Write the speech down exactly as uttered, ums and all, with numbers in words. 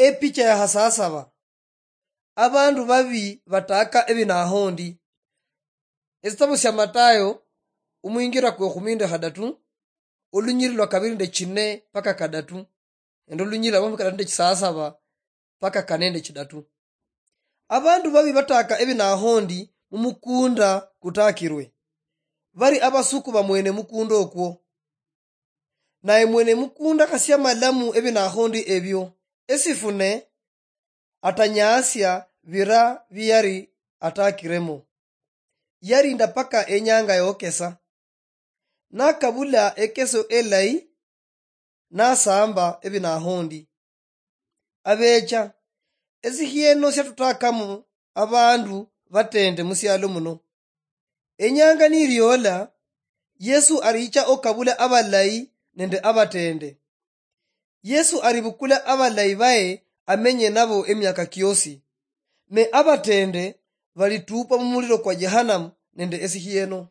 Epicha ya hasasaba. Abandu babi bataka ebinahondi. Esitabu sia Matayo, omwingira kwe khumi nende khadatu, olunyiri lwa kabiri nende chine paka kadatu, nende olunyiri lwa makhumi kadatu nende chisasaba paka kane nende chidatu. Abandu babi bataka ebinahondi mumukunda kutakirwe, bari abasuku ba mwene mukunda okwo. Naye mwene mukunda khasi amalamu ebinahondi ebio, esifune atanyaasia bira biyari atakiremo. Yarinda paka enyanga yokesa. Nakabula ekeso elayi, nasamba ebinahondi. Abecha, esikhieno siatutakamu abandu batende musialo muno. Enyanga niriola, Yesu aricha okabula abalayi nende abatende. Yesu aribukula abalayi baye amenye nabo emiaka kiosi, ne abatende balitupa mumuliro kwa Jehanamu nende esikhieno.